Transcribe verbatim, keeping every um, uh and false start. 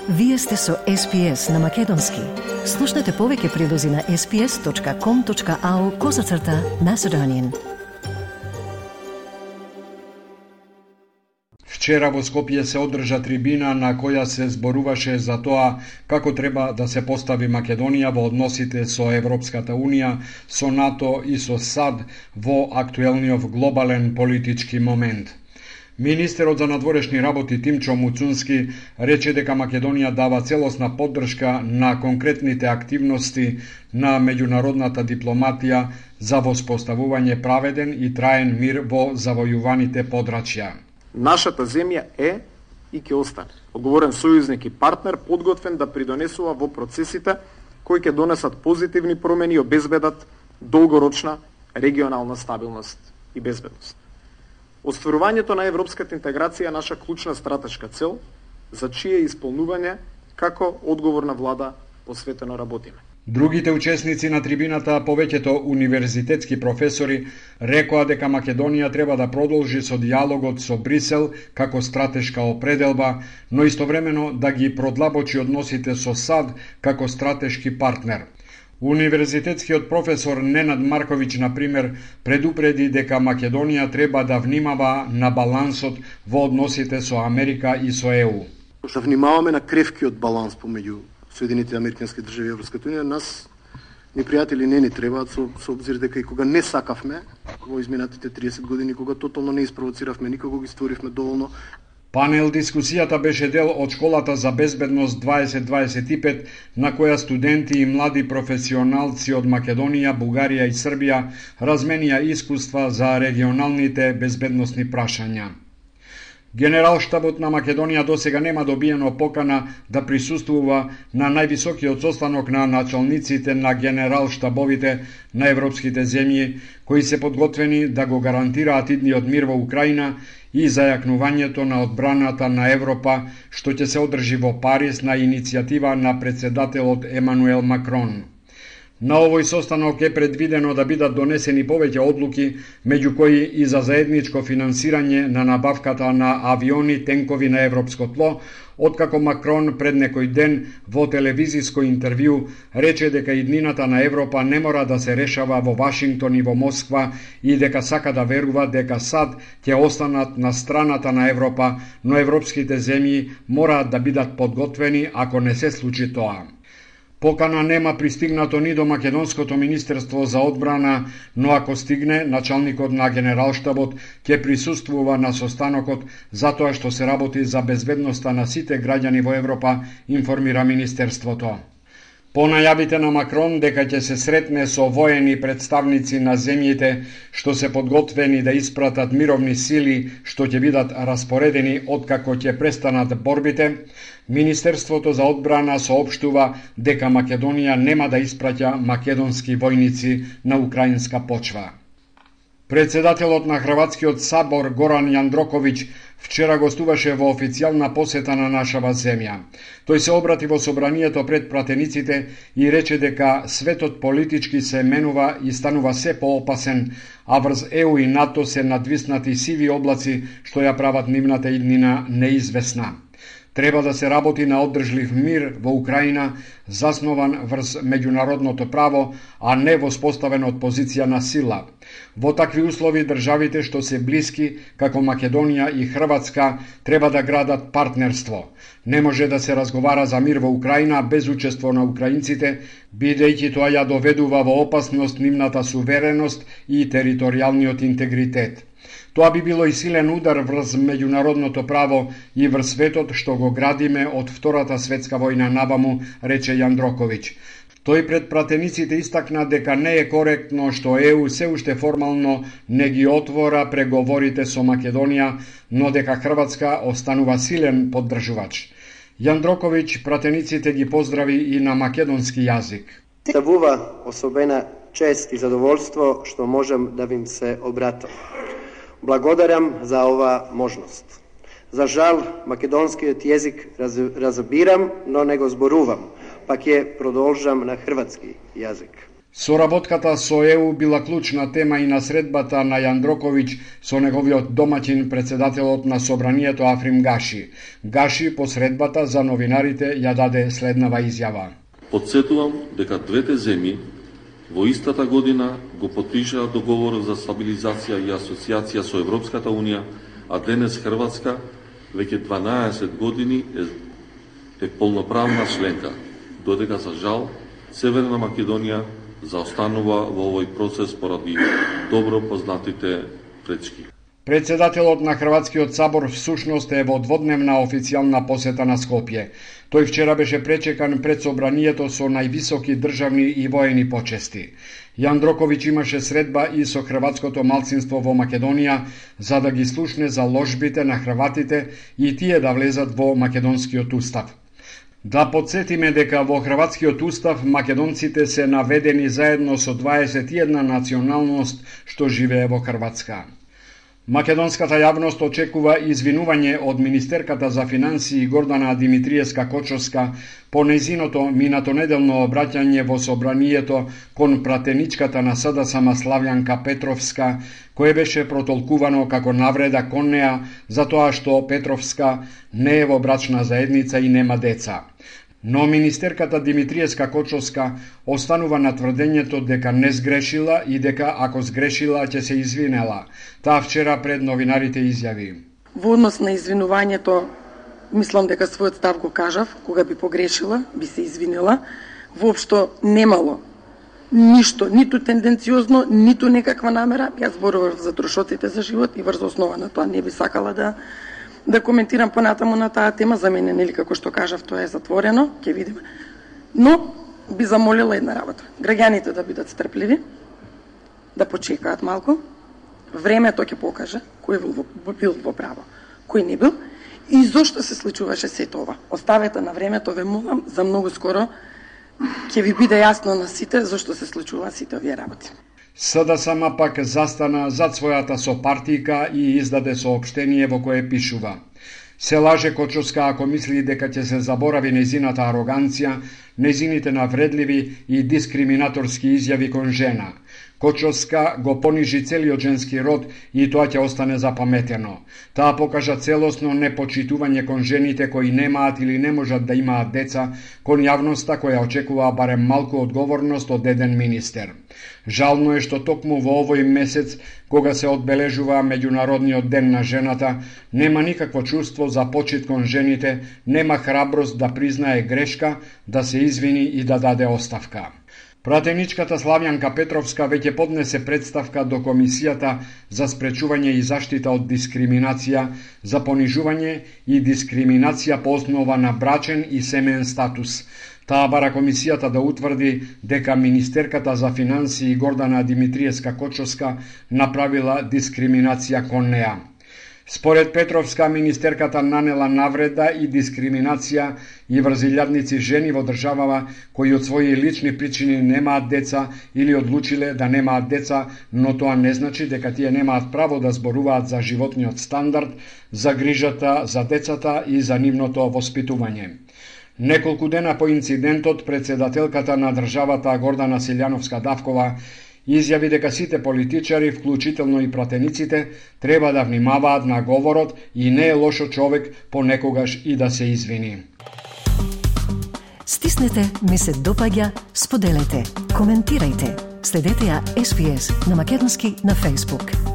Вие сте со Ес Пи Ес на Македонски. Слушнете повеќе прилози на ес пи ес точка ком точка ау козацрта Macedonian. Вчера во Скопје се одржа трибина на која се зборуваше за тоа како треба да се постави Македонија во односите со Европската Унија, со НАТО и со САД во актуелниот глобален политички момент. Министерот за надворешни работи Тимчо Муцунски рече дека Македонија дава целосна поддршка на конкретните активности на меѓународната дипломатија за воспоставување праведен и траен мир во завојуваните подрачја. Нашата земја е и ќе остане одговорен сојузник и партнер, подготвен да придонесува во процесите кои ќе донесат позитивни промени и обезбедат долгорочна регионална стабилност и безбедност. Остварувањето на европската интеграција е наша клучна стратешка цел, за чие исполнување како одговорна влада посветено работиме. Другите учесници на трибината, повеќето универзитетски професори, рекоа дека Македонија треба да продолжи со дијалогот со Брисел како стратешка определба, но истовремено да ги продлабочи односите со САД како стратешки партнер. Универзитетскиот професор Ненад Марковиќ, например, предупреди дека Македонија треба да внимава на балансот во односите со Америка и со Е У. Да внимаваме на кревкиот баланс помеѓу Соединетите Американски држави и Европската Унија. Нас непријатели не ни требаат, со, со обзир дека и кога не сакавме во изминатите триесет години, кога тотално не испровоциравме никого, ги створивме доволно. Панел дискусијата беше дел од школата за безбедност дваесет дваесет и пет, на која студенти и млади професионалци од Македонија, Бугарија и Србија разменија искуства за регионалните безбедносни прашања. Генералштабот на Македонија досега нема добиено покана да присуствува на највисокиот состанок на началниците на генералштабовите на европските земји, кои се подготвени да го гарантираат идниот мир во Украина и зајакнувањето на одбраната на Европа, што ќе се одржи во Париз на иницијатива на председателот Емануел Макрон. На овој состанок е предвидено да бидат донесени повеќе одлуки, меѓу кои и за заедничко финансирање на набавката на авиони, тенкови на европско тло, откако Макрон пред некој ден во телевизиско интервју рече дека иднината на Европа не мора да се решава во Вашингтон и во Москва и дека сака да верува дека САД ќе останат на страната на Европа, но европските земји мораат да бидат подготвени ако не се случи тоа. Покана нема пристигнато ни до Македонското министерство за одбрана, но ако стигне, началникот на генералштабот ќе присуствува на состанокот затоа што се работи за безбедноста на сите граѓани во Европа, информира министерството. По најавите на Макрон дека ќе се сретне со воени представници на земјите што се подготвени да испратат мировни сили што ќе бидат распоредени откако ќе престанат борбите, Министерството за одбрана соопштува дека Македонија нема да испраќа македонски војници на украинска почва. Председателот на Хрватскиот сабор Горан Јандроковиќ вчера гостуваше во официјална посета на нашава земја. Тој се обрати во собранието пред пратениците и рече дека светот политички се менува и станува се поопасен, а врз Е У и НАТО се надвиснати сиви облаци што ја прават нивната иднина неизвестна. Треба да се работи на оддржлив мир во Украина, заснован врз меѓународното право, а не воспоставен од позиција на сила. Во такви услови државите што се блиски, како Македонија и Хрватска, треба да градат партнерство. Не може да се разговара за мир во Украина без учество на украинците, бидејќи тоа ја доведува во опасност нивната сувереност и територијалниот интегритет. Тоа би било и силен удар врз меѓународното право и врз светот што го градиме од Втората светска војна наваму, рече Јандроковиќ. Тој пред пратениците истакна дека не е коректно што Е У се уште формално не ги отвора преговорите со Македонија, но дека Хрватска останува силен поддржувач. Јандроковиќ пратениците ги поздрави и на македонски јазик. Ставува особена чест и задоволство што можам да вим се обратам. Благодарам за ова можност. За жал, македонскиот јазик раз, разбирам, но не го зборувам, пак ќе продолжам на хрватски јазик. Соработката со Е У била клучна тема и на средбата на Јандроковиќ со неговиот домаќин, председателот на Собранието Африм Гаши. Гаши по средбата за новинарите ја даде следнава изјава. Подсетувам дека двете земји во истата година го потпишаа договор за стабилизација и асоциација со Европската Унија, а денес Хрватска веќе дванаесет години е, е полноправна членка, додека за жал Северна Македонија заостанува во овој процес поради добро познатите пречки. Председателот на Хрватскиот сабор всушност е во дводневна официјална посета на Скопје. Тој вчера беше пречекан пред собранието со највисоки државни и воени почести. Јандроковиќ имаше средба и со хрватското малцинство во Македонија за да ги слушне за ложбите на хрватите и тие да влезат во македонскиот устав. Да подсетиме дека во Хрватскиот устав македонците се наведени заедно со дваесет и една националност што живее во Хрватска. Македонската јавност очекува извинување од министерката за финансии Гордана Димитриевска-Кочовска по нејзиното минатонеделно обраќање во собранието кон пратеничката на СДСМ Славјанка Петровска, кое беше протолкувано како навреда кон неа за тоа што Петровска не е во брачна заедница и нема деца. Но министерката Димитриевска-Кочовска останува на тврдењето дека не сгрешила и дека ако сгрешила ќе се извинела. Таа вчера пред новинарите изјави. Во однос на извинувањето, мислам дека својот став го кажав, кога би погрешила, би се извинила. Воопшто немало ништо, ниту тенденциозно, ниту некаква намера. Јас зборував за трошоците за живот и врз основа на тоа не би сакала да да коментирам понатаму на таа тема. За мене, нели, како што кажав, тоа е затворено, ќе видиме. Но би замолила една работа. Граѓаните да бидат стрпливи, да почекаат малку. Времето ќе покаже кој бил во, бил во право, кој не бил и зошто се случуваше сето ова. Оставете на времето, ве молам, за многу скоро ќе ви биде јасно на сите зошто се случува сите овие работи. СДСМ пак застана зад својата сопартика и издаде соопштение во кое пишува: се лаже Кочовска ако мисли дека ќе се заборави нејзината ароганција, нејзините навредливи и дискриминаторски изјави кон жена. Кочовска го понижи целиот женски род и тоа ќе остане запаметено. Таа покажа целосно непочитување кон жените кои немаат или не можат да имаат деца, кон јавноста која очекува барем малку одговорност од еден министер. Жално е што токму во овој месец, кога се одбележува Меѓународниот ден на жената, нема никакво чувство за почит кон жените, нема храброст да признае грешка, да се извини и да даде оставка. Пратеничката Славјанка Петровска веќе поднесе представка до Комисијата за спречување и заштита од дискриминација, за понижување и дискриминација по основа на брачен и семеен статус. Таа бара Комисијата да утврди дека министерката за финансии Гордана Димитриевска-Кочовска направила дискриминација кон неа. Според Петровска, министерката нанела навреда и дискриминација и врз илјадници жени во државава кои од своји лични причини немаат деца или одлучиле да немаат деца, но тоа не значи дека тие немаат право да зборуваат за животниот стандард, за грижата за децата и за нивното воспитување. Неколку дена по инцидентот, председателката на државата Гордана Силјановска-Давкова изјави дека сите политичари, вклучително и пратениците, треба да внимаваат на говорот и не е лошо човек понекогаш и да се извини. Стиснете, ми се допаѓа, споделете, коментирајте. Следете ја Ес Би Ес на македонски на Facebook.